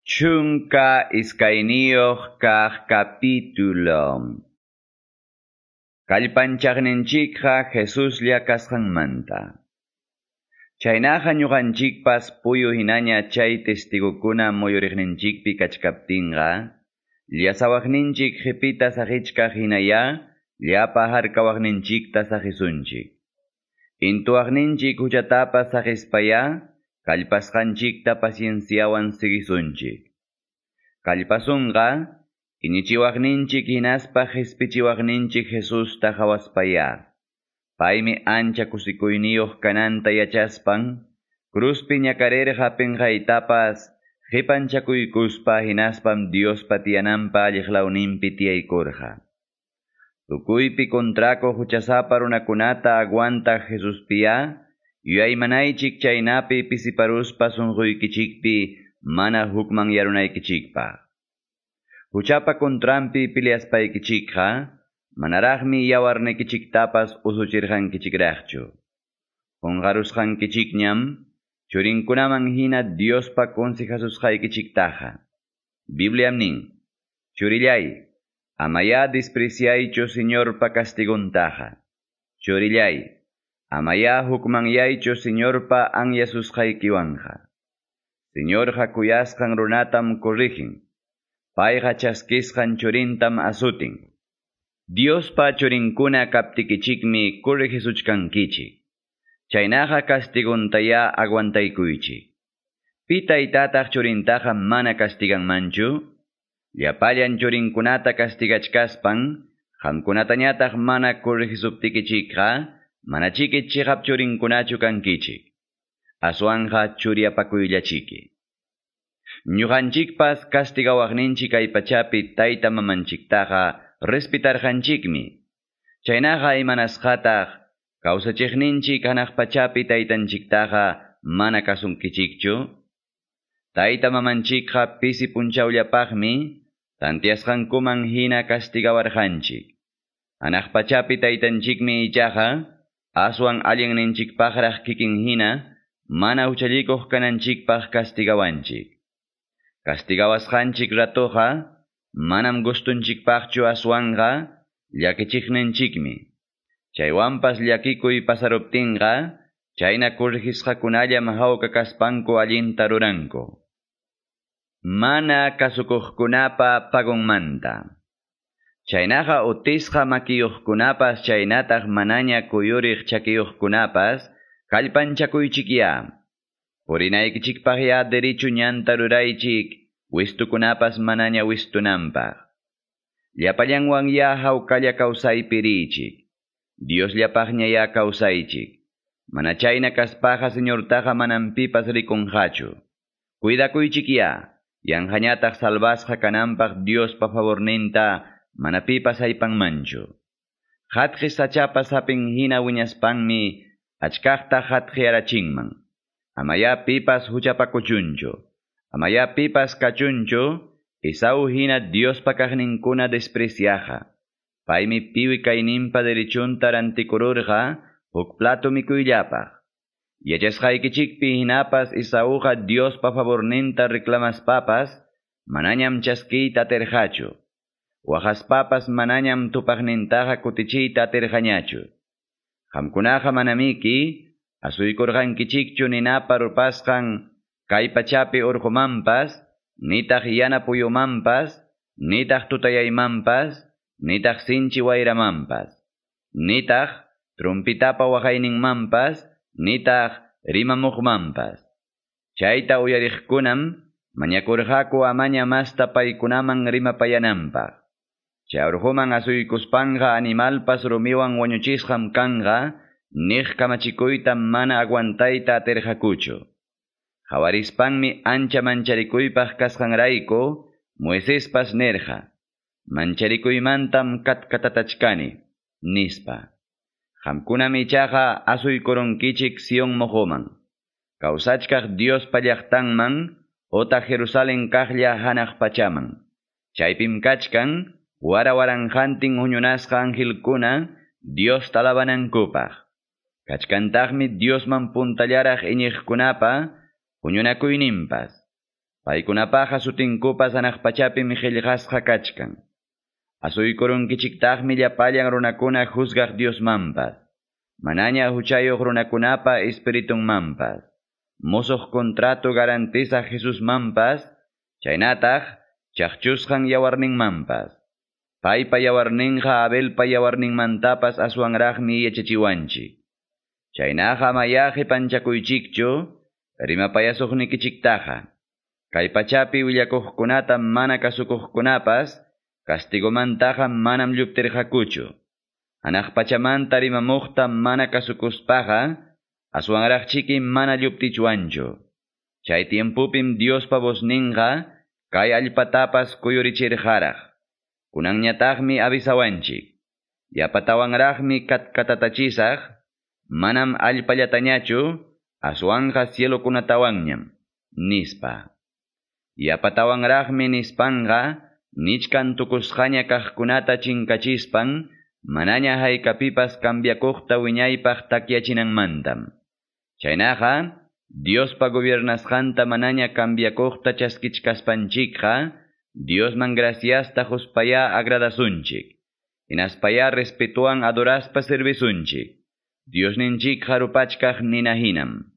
12 kaq capítulo. Kallpanchaqninchikqa Jesuslla kasqanmanta. Chaynaqa ñuqanchikpas puyu hinaña chay testigokuna muyuriqninchikpi kachkaptinqa, llasawaqninchik qipita saqichkaq hinaya llapa harkawaqninchikta saqisunchik. Intuwaqninchik huchatapas saqispaya kallpasqanchikta pacienciawan siguisunchik. Kallpasunqa iñichiwaqninchik hinaspa qispichiwaqninchik Jesusta hawaspaya. Paymi ancha kusikuyniyuq kananta yachaspan, cruzpi ñakarirqa pinqaytapas qipanchakuykuspa hinaspam Diospa tiyananpa alliqlawninpi tiyaykurqa. Tukuypi kontrakuq huchasapa runakunata aguantaq Jesuspiya, yuyaymanaychik chaynapi pisiparuspa sunquykichikpi mana hukman yarunaykichikpaq. Huchapa kontranpi peleaspaykichikqa, manaraqmi yawarnikichiktapas usuchirqankichikraqchu. Qunqarusqankichikñam, churinkunaman hina Diospa consejasusqaykichiktaqa. Bibliam nin, churillay, amaya despreciaychu Señorpa castiguntaqa. Churillay, amaya hukmanyaychu Señorpa anyasusqaykiwanqa. Señorqa kuyasqan runatam corrigen. Payqa chaskisqan churintam asutin. Diospa churinkuna kaptikichikmi corrigisuchkankichik. Chaynaqa castigontaya aguantaykuychik. Pi taytataq churintaqa mana castiganmanchu? Llapallan churinkunata castigachkaspan, qamkunatañataq mana corrigisuptikichikqa, manachiki chiqap churinkunachu kankichik. Aswanqa churiapakuyllachiki. Ñuqanchikpas castigawaqninchik kay pachapi tayta mamanchiktaqa respetarqanchikmi. Chaynaqa imanasqataq kawsachiqninchik hanaq pachapi taytanchiktaqa mana kasunkichikchu. Tayta mamanchikqa pisi punchawllapaqmi tantiasqankuman hina castigawarqanchik. Hanaq pachapi taytanchikmi ichaqa aswan allinninchikpaqraq kikin hina mana huchallikuq kananchikpaq castigawanchik. Castigawasqanchik ratoqa manam gustunchikpaqchu aswanqa llakichiqninchikmi. Chaywanpas llakikuy pasaruptinqa chayna corrigisqakunallam hawka kaspanku allinta ruranku. Mana kasukuqkunapa pagonmanta. Chaynaqa utisqa makiyuqkunapas chaynataq manaña kuyuriq chakiyuqkunapas kallpanchakuychikya. Purinaykichikpaqya derecho ñanta ruraychik, wistukunapas manaña wistunanpaq. Llapallanwan ya hawkalla kawsaypi riychik. Diosllapaqña ya kawsaychik. Mana chayna kaspaqa Señortaqa manam pipas rikunqachu. Cuidakuychikya, yanqañataq salvasqa kananpaq Diospa favorninta mana pipas aypanmanchu. Hatqi sachapa sapin hina wiñaspanmi achkaqta hatqiyarachinman. Amaya pipas huchapakuchunchu. Amaya pipas kachunchu, Esau hina Diospa kaqninkuna despreciaqa. Paymi piwi kayninpa derechunta rantikururqa huk plato mikuyllapaq. Yachasqaykichikpi hinapas Esauqa Diospa favorninta reclamaspapas, manañam chaskiyta atirqachu. Waqaspapas manañam tupaqnintaqa kutichiyta atirqañachu. Qamkunaqa manamiki, asuykurqankichikchu ninapa rupasqan kay pachapi urqumanpas, nitaq yana puyumanpas, nitaq tutayaymanpas, nitaq sinchi wayramanpas, nitaq trumpitapa waqayninmanpas, nitaq rimamuqmanpas. Chayta uyariqkunam mañakurqaku amaña masta paykunaman rimapayananpaq. Chay urquman asuykuspanqa animalpas rumiwan wañuchisqam kanqa, niq kamachikuyta mana aguantayta atirqakuchu. Hawarispanmi ancha mancharikuypaq kasqanrayku, Moisespas nirqa, mancharikuymantam katkatatachkani, nispa. Qamkunam ichaqa asuykurunkichik Sion moqoman. Kawsachkaq Diospa llaqtanman, otaq Jerusalén kaqlla hanaq pachaman. Chaypim kachkan, wara waranqantin huñunasqa angelkuna Dios talabanankupaq. Kachkantaqmi Diosman puntallaraq iñiqkunapa huñunakuyninpas. Paykunapaqa sutinkupas hanaq pachapim qillqasqa kachkan. Asuykurunkichiktaqmi llapallan runakuna juzgaq Diosmanpas, manaña huchayuq runakunapa espiritunmanpas, musuq contrato garantizaq Jesusmanpas, chaynataq chaqchusqan yawarninmanpas. Paypa yawarninqa Abelpa yawarninmantapas aswanraqmi yachachiwanchik. Chaynaqa amayá qipanchakuychikchu rimapayasuqnikichiktaqa. Kay pachapi willakuqkunata mana kasukuqkunapas castigomantaqa manam lluptirqakuchu. Hanaq pachamanta rimamuqta mana kasukuspaqa aswanraqchiki mana lluptichwanchu. Chay tiempupim Diospa vozninqa kay allpatapas kuyurichirqaraq. Kunanñataqmi avisawanchik. Yapatawanraqmi katkatatachisaq, manam allpallatañachu, aswanqa cielokunatawanñam, nispa. Yapatawanraqmi nispanqa, nichkan tukusqaña kaqkunata chinkachispan, manaña haykapipas cambiakuqta wiñaypaq takyachinanmantam. Chaynaqa, Diospa gobiernasqanta manaña cambiakuqta chaskichkaspanchikqa, Diosman graciasta quspayá agradasunchik. Hinaspayá respetuan adoraspa servisunchik. Diosninchik rupachkaq nina hinam.